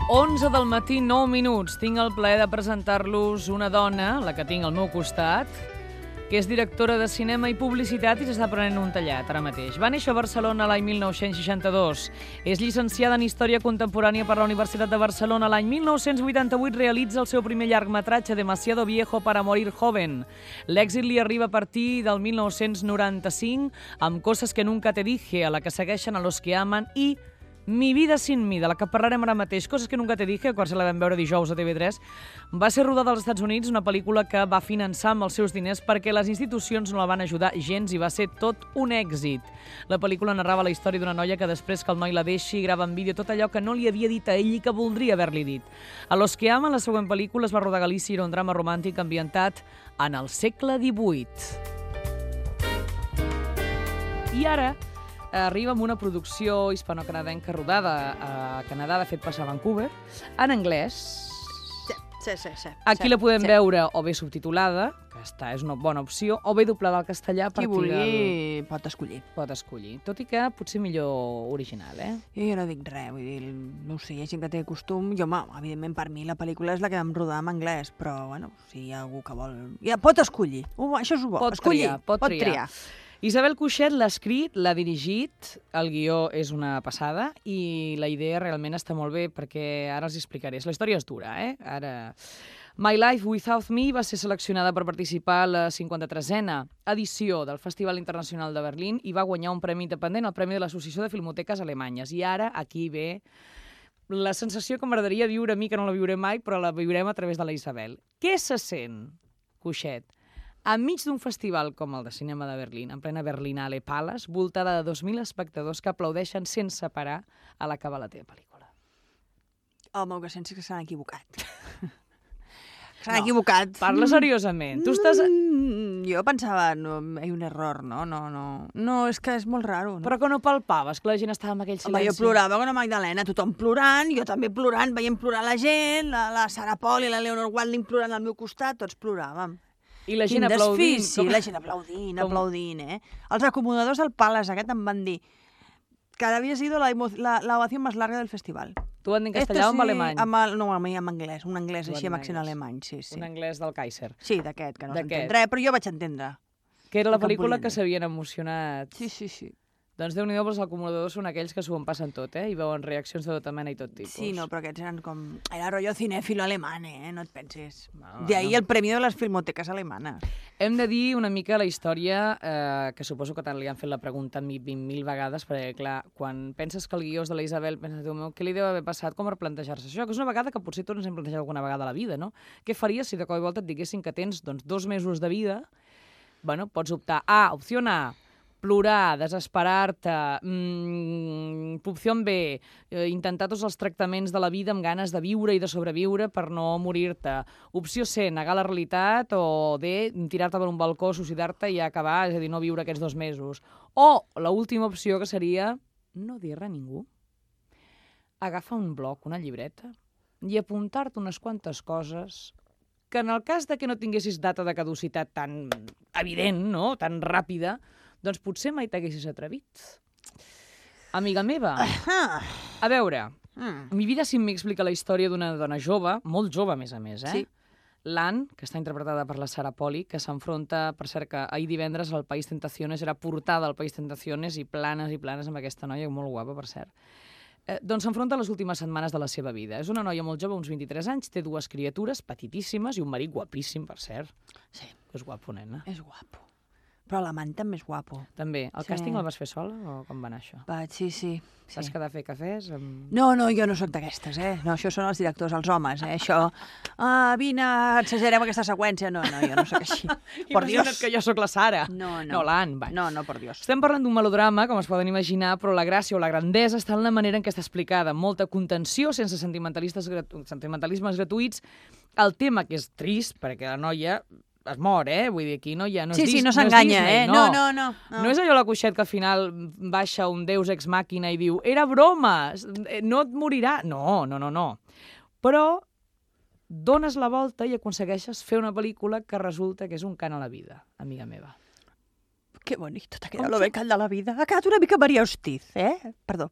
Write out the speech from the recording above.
11 del matí, 9 minuts. Tinc el plaer de presentar-los una dona, la que tinc al meu costat, que és directora de cinema i publicitat i s'està prenent un tallat ara mateix. Va néixer a Barcelona l'any 1962. És llicenciada en Història Contemporània per la Universitat de Barcelona. L'any 1988 realitza el seu primer llargmetratge, Demasiado viejo para morir joven. L'èxit li arriba a partir del 1995 amb Cosas que nunca te dije, a la que segueixen A los que aman i Mi vida sin mi, de la que parlarem ara mateix. Coses que nunca te dije, quan se la vam veure dijous a TV3, va ser rodada als Estats Units, una pel·lícula que va finançar amb els seus diners perquè les institucions no la van ajudar gens i va ser tot un èxit. La pel·lícula narrava la història d'una noia que després que el noi la deixi grava en vídeo tot allò que no li havia dit a ell i que voldria haver-li dit. A los que aman, la següent pel·lícula, es va rodar a Galícia i era un drama romàntic ambientat en el segle XVIII. I ara arriba amb una producció hispano-canadenca rodada a Canadà, de fet passa a Vancouver, en anglès. Sí. Aquí la podem veure o bé subtitulada, que és una bona opció, o bé doblada al castellà. Qui vulgui pot escollir. Pot escollir, tot i que potser millor original, eh? Jo no dic res, vull dir, no ho sé, hi ha gent que té costum. Jo, evidentment, per mi la pel·lícula és la que vam rodar en anglès, però, bueno, si hi ha algú que vol... Ja pot escollir, això és bo, escollir, pot triar. Isabel Cuixet l'ha escrit, l'ha dirigit, el guió és una passada i la idea realment està molt bé perquè ara els explicaré. La història és dura, eh? Ara... My Life Without Me va ser seleccionada per participar a la 53a edició del Festival Internacional de Berlín i va guanyar un premi independent, el Premi de l'Associació de Filmoteques Alemanyes. I ara aquí ve la sensació que m'agradaria viure a mi, que no la viuré mai, però la viurem a través de la Isabel. Què se sent, Cuixet, enmig d'un festival com el de cinema de Berlín, en plena Berlinale Palace, voltada de 2.000 espectadors que aplaudeixen sense parar a l'acabar la teva pel·lícula? Home, el que sents és que s'han equivocat. S'han equivocat. Parla seriosament. Tu estàs... Jo pensava, no, hi ha un error, no? No, és que és molt raro. No? Però que no palpaves, que la gent estava amb aquell silenci. Home, jo plorava com una Magdalena, tothom plorant, jo també plorant, veient plorar la gent, la Sarah Paul i la Leonor Walding plorant al meu costat, tots ploràvem. I la gent aplaudint. Sí, la gent aplaudint, eh? Els acomodadors del Palace aquest em van dir que havia sido la ovació més larga del festival. Tu van dir en castellà o en alemany? No, a mi en anglès, un anglès així amb accent alemany, sí. Un anglès del Kaiser. Sí, d'aquest, que no s'entén res, però jo vaig entendre. Que era la pel·lícula que s'havien emocionat. Sí. Doncs Déu-n'hi-do, els acomodadors són aquells que s'ho en passen tot, i veuen reaccions de tota mena i tot tipus. Sí, no, però aquests eren com... Era rotllo cinéfilo alemán, no et pensis. De ahí el premi de les filmoteques alemanes. Hem de dir una mica la història, que suposo que tant li han fet la pregunta 20.000 vegades, perquè, clar, quan penses que el guió és de la Isabel, penses, Déu meu, què li deu haver passat com per plantejar-se això? Que és una vegada que potser tots ens hem plantejat alguna vegada a la vida, no? Què faries si de cop i volta et diguessin que tens 2 mesos de vida? Bueno, pots optar a, opció A, plorar, desesperar-te, opció B, intentar tots els tractaments de la vida amb ganes de viure i de sobreviure per no morir-te. Opció C, negar la realitat, o D, tirar-te per un balcó, suïcidar-te i acabar, és a dir, no viure aquests 2 mesos. O l'última opció, que seria no dir res a ningú. Agafar un bloc, una llibreta, i apuntar-te unes quantes coses que en el cas de que no tinguessis data de caducitat tan evident, no?, tan ràpida, doncs potser mai t'haguessis atrevit. Amiga meva, a veure, Mi vida sin mi explica la història d'una dona jove, molt jove a més, Sí. l'Anne, que està interpretada per la Sarah Polley, que s'enfronta, per cert, que ahir divendres al País Tentaciones, era portada al País Tentaciones i planes amb aquesta noia, molt guapa, per cert. Doncs s'enfronta a les últimes setmanes de la seva vida. És una noia molt jove, uns 23 anys, té 2 criatures petitíssimes i un marit guapíssim, per cert. Sí. És guapo, nena. És guapo. Però l'amant també és guapo. També. El càsting el vas fer sola o com va anar això? Sí. Vas quedar a fer cafès? No, jo no sóc d'aquestes, No, això són els directors, els homes, Això, vine, exagerem aquesta seqüència. No, jo no sóc així. Por Dios. Imagina't que jo sóc la Sara. No, l'Anne, va. No, por Dios. Estem parlant d'un melodrama, com es poden imaginar, però la gràcia o la grandesa està en la manera en què està explicada. Molta contenció, sense sentimentalismes gratuïts. El tema, que és trist, perquè la noia es mor, Vull dir, aquí no hi ha... Sí, no s'enganya, No. No és allò la Cuixet que al final baixa un deus ex màquina i diu era broma, no et morirà. No. Però dones la volta i aconsegueixes fer una pel·lícula que resulta que és un cant a la vida, amiga meva. Que bonito, t'ha quedat lo becal de la vida. Ha quedat una mica Maria Hostiz, Perdó.